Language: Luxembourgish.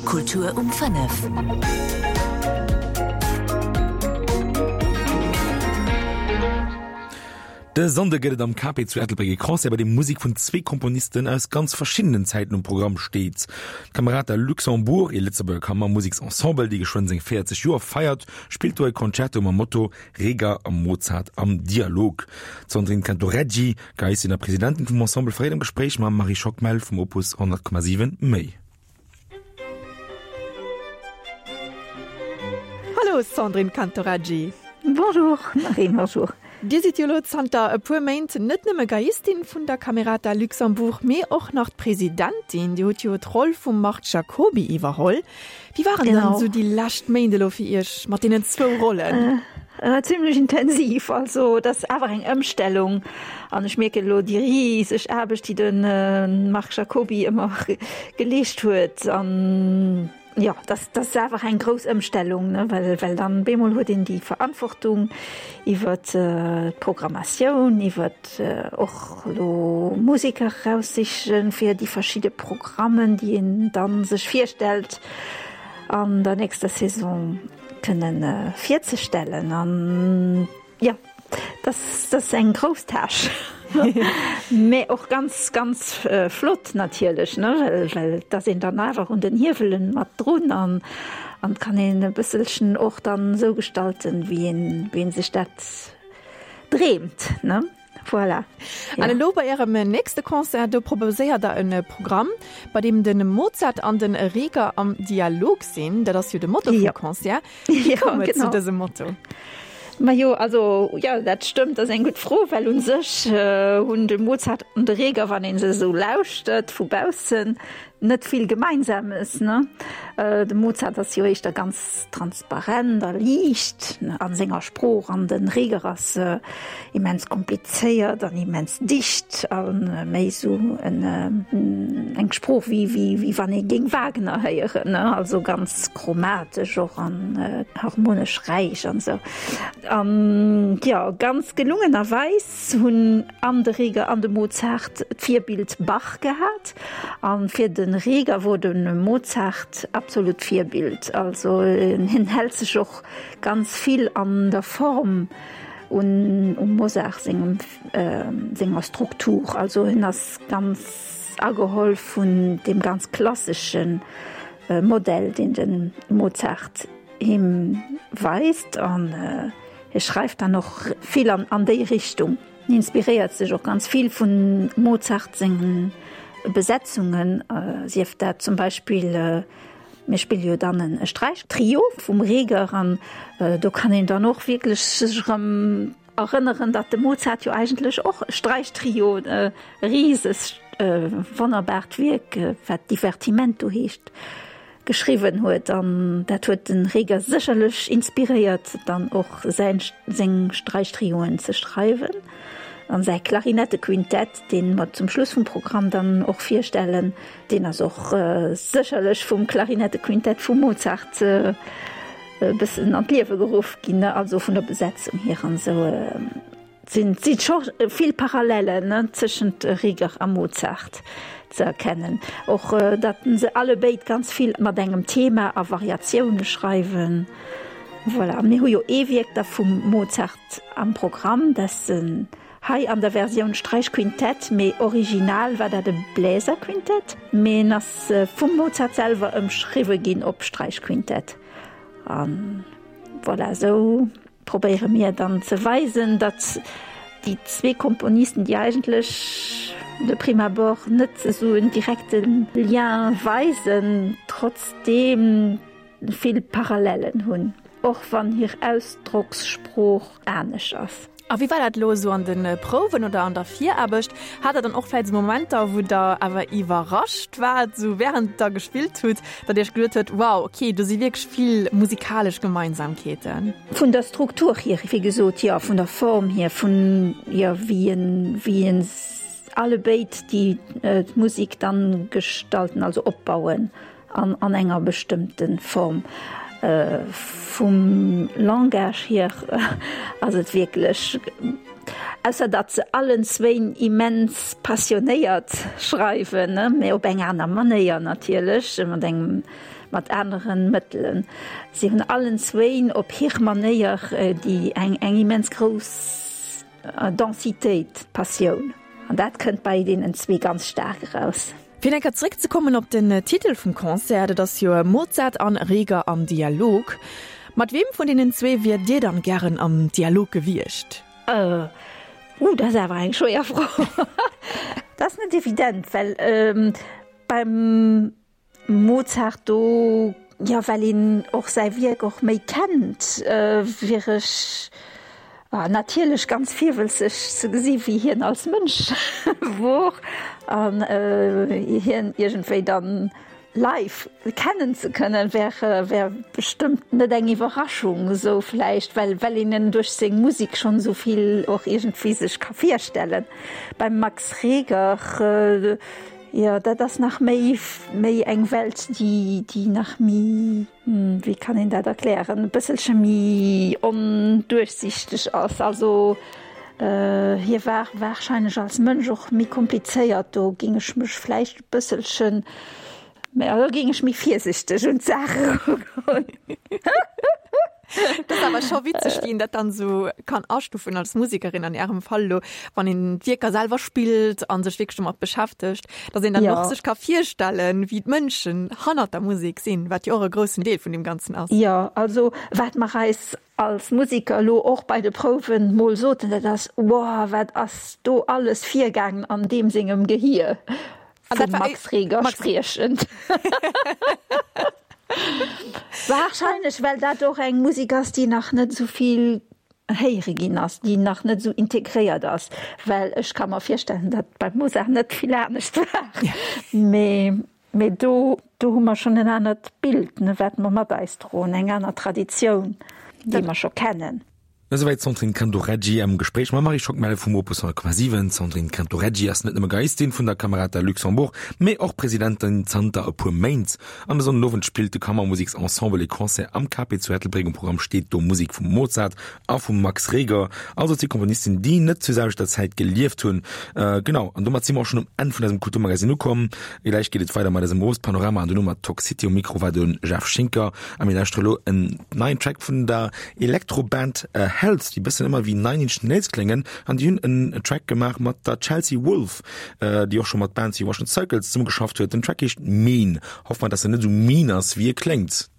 Kultur um 5. De Sonnde gëtt et am Cape zu Ettelbréck e Concert, bei deem Musek vun zwee Komponisten aus ganz verschiddenen Zäiten um Programm steet. D'Camerata Luxembourg, ee Lëtzebuerger Kammermuseksensemble, dee geschwënn seng 40 Joer feiert, spillt do e Concerto mam Motto Reger a Mozart am Dialog. D'Sandrine Cantoreggi, Geiistin a Presidentin vum Ensemble, verréit am Gespréich mam Marie Schockmel vum Opus 100,7 méi. Hallo Sandrine Cantoreggi. Bonjour Marie, bonjour. Dir sidd jo elo zanter e puer Méint net nëmme Geiistin vun der Camerata Luxembourg, mee och nach d'Presidentin. Dir hutt jo d'Roll vum Marc Jacoby iwwerholl. Wéi waren dann esou déi lescht Méint elo fir Iech mat deenen zwou Rollen? Zimlech intensiv. Also et ass awer eng Ëmstellung an ech mierken elo déi riseg Aarbecht, déi de Marc Jacoby ëmmer geleescht huet. An jo, dat ass awer eng grouss Ëmstellung, ne, well well dann bemol huet een déi Verantwortung iwwer d'Programmatioun, iwwer och elo Museker eraussichen fir déi verschidde Programmen, déi een dann sech virstellt an der nächster Saison. Kënnen virzestellen an jo, dat ass eng grouss Tâche, mä och ganz, ganz flott natierlech, ne, well well et ass een dann awer un den Hiewelen mat drun an an kann een e bësselchen och dann esou gestalten, wéi een wéi een sech dat dreemt, ne. Voilà. An elo bei Ärem nächste Concert, do proposéiert Der e Programm, bei deem de Mozart an de Reger am Dialog sinn. Dat ass jo de Motto vum Concert. Wéi koum et zu dësem Motto? Majo, also jo, dat stëmmt, dat ass eng gutt Fro, well u sech hunn de Mozart an de Reger, wann ee se esou lauschtert vu baussen, net vill Gemeinsames, ne? De Mozart ass jo éischter ganz transparent a liicht a senger Sprooch an de Reger ass immens komplizéiert an immens dicht a méi esou eng Sprooch wéi wéi wann ee géing Wagner héieren, ne? Also ganz chromatesch och an harmonesch räich an esou. An jo, ganz gelungenerweis hunn an de Reger an de Mozart d'Virbild Bach gehat. An fir de Reger wor de Mozart absolut d'Virbild. Also hien hält sech och ganz vill an der Form un um Mozart sengem senger Struktur. Also hien ass ganz ageholl vun deem ganz klassesche Modell, deen de Mozart him weist. An Hie schreift dann och vill an déi Richtung. Hien inspiréiert sech och ganz vill vun Mozart sengen Besetzungen, sief dat zum Beispill, mir spille jo dann e Sträichtrio vum Reger an do kann een dann och wierklech sech erëm erënneren, datt de Mozart jo eigentlech och e Sträichtrio, e risegt wonnerbaart Wierk, wat Divertimento heescht, geschriwwen huet an dat huet den Reger sécherlech inspiréiert dann och säin seng Sträichtrioen ze schreiwen an säi Klarinettequintett deen mer zum Schluss vum Programm dann och virstellen, deen ass och sécherlech vum Klarinettequintett vum Mozart e bëssen an d'Liewe geruff ginn, also vun der Besetzung hier an esou. Et si scho vill Parallellen tëschent Reger a Mozart ze erkennen. Och datt se allebéid ganz vill mat engem Thema a Variatioune schreiwen. Voilà, mir hu jo ee Wierk da vum Mozart am Programm, dat hei an der Versioun Sträichquintett, mee original war dat e Bläserquintett, mee en ass vum Mozart selwer ëmschriwwe ginn op Sträichquintett. A voilà, esou Probéiere mir dann ze weisen, datt déi zwee Komponisten, déi eigentlech de prime abord net esou en direkte Lien weisen, trotzdeem vill Parallellen hunn, och wann hir Ausdrockssprooch anesch ass. A wéi war dat elo esou an de Prouwen oder an der Viraarbecht? Hat der dann och vläicht esou Momenter, wou der awer iwwerrascht waart, esou wärend der gespillt hutt, datt Iech geduet huet, wow, okay, do si wierklech vill musikalesch Gemeinsamkeeten? Vun der Struktur hier, wéi gesot, jo, vun der Form hier, vun, jo, wéi en, wéi en allebéid déi d'Musek dann gestalten, also opbauen an an enger bestëmmte Form. Vum Langage hier ass et wierklech, ausser datt se allen zwéin immens passionéiert schreiwen, mä op eng aner Manéier natierlech, mat engem, mat aneren Mëttelen. Si hunn allen zwéin op hir Manéier déi eng eng immens grouss Densitéit, Passioun. An dat kënnt bei deenen zwee ganz staark eraus. Fir eng Kéier zeréckzekommen op den Titel vum Concert, dat ass jo Mozart an Reger am Dialog. Mat weem vun deenen zwee wiert Dir dann gären am Dialog gewiescht? Uh, dat ass awer eng schwéier Fro. Dat ass net evident, well beim Mozart do, jo, well een och säi Wierk och méi kennt, wier ech natierlech ganz virwëlzeg ze gesi wéi hien als Mënsch wor an hien iergendwéi dann live kennen ze kënnen, wär wär bestëmmt net eng Iwwerraschung esou vläicht, well well een en duerch seng Musek schonn esou vill och iergendwéi sech ka virstellen. Beim Max Reger, Jo, dat ass nach méi, méi eng Welt, déi, déi nach méi, wéi kann een dat erklären, e bësselche méi onduerchsichteg ass. Also hie war warscheinlech als Mënsch och méi komplizéiert. Do géing ech mech vläicht e bësselchen, mä do géing ech méi virsichteg un d'Saach erugoen. Dat ass awer scho witzeg, wéi een dat dann esou kann astufen als Musekerin an Ärem Fall elo, wann een d'Wierker selwer spillt a sech wierklech domat beschäftegt, datt een dann och sech ka virstellen, wéi d'Mënschen hannert der Musek sinn, wat jo och e groussen Deel vun deem Ganzen ass. Jo, also wat mer eis als Museker elo och bei de Prouwen mol soten, dat ass, Wow, wat ass do alles virgaangen an deem sengem Gehier? Vum Max Reger spriechend. Warscheinlech, well dat och eng Musek ass, déi nach net esou vill héiere ginn ass, déi nach net esou integréiert ass. Well ech ka mer virstellen, datt beim Mozart net vill anescht war. Mee, mee do, do hu mer schonn en anert Bild, ne, wat mer mat eis droen, eng aner Traditioun, déi mer scho kennen. Esouwäit d'Sandrine Cantoreggi am Gespréich mam Marie Schockmel vum Opus 100,7. D'Sandrine Cantoreggi ass net nëmme Geiistin vun der Camerata Luxembourg, mee och Presidentin zanter e puer Méint. An e Sonndenowend spillt de Kammermusiksensemble e Concert am KP zu Ettelbréck. Um Programm steet do Musek vum Mozart a vum Max Reger, also zwee Komponisten, déi net zur selwechter Zäit gelieft hunn. Genau, an domat si mer och schonn um Enn vun eisem Kulturmagazin ukomm. Gläich geet et weider mat eisem Owespanorama an duerno mat Talk City. Um Mikro war de Jeff Schinker a mir lauschtere lo en neien Track vun der Elektroband Health, déi bëssen ëmmer wéi Nine Inch Nails kléngen an déi hunn en Track gemaach mat der Chelsea Wolfe, déi och scho mat Bands wéi Russian Circles zesummegeschafft huet. Den Track heescht Mean. Hoffe mer, dass en net esou mean ass, wéi e kléngt.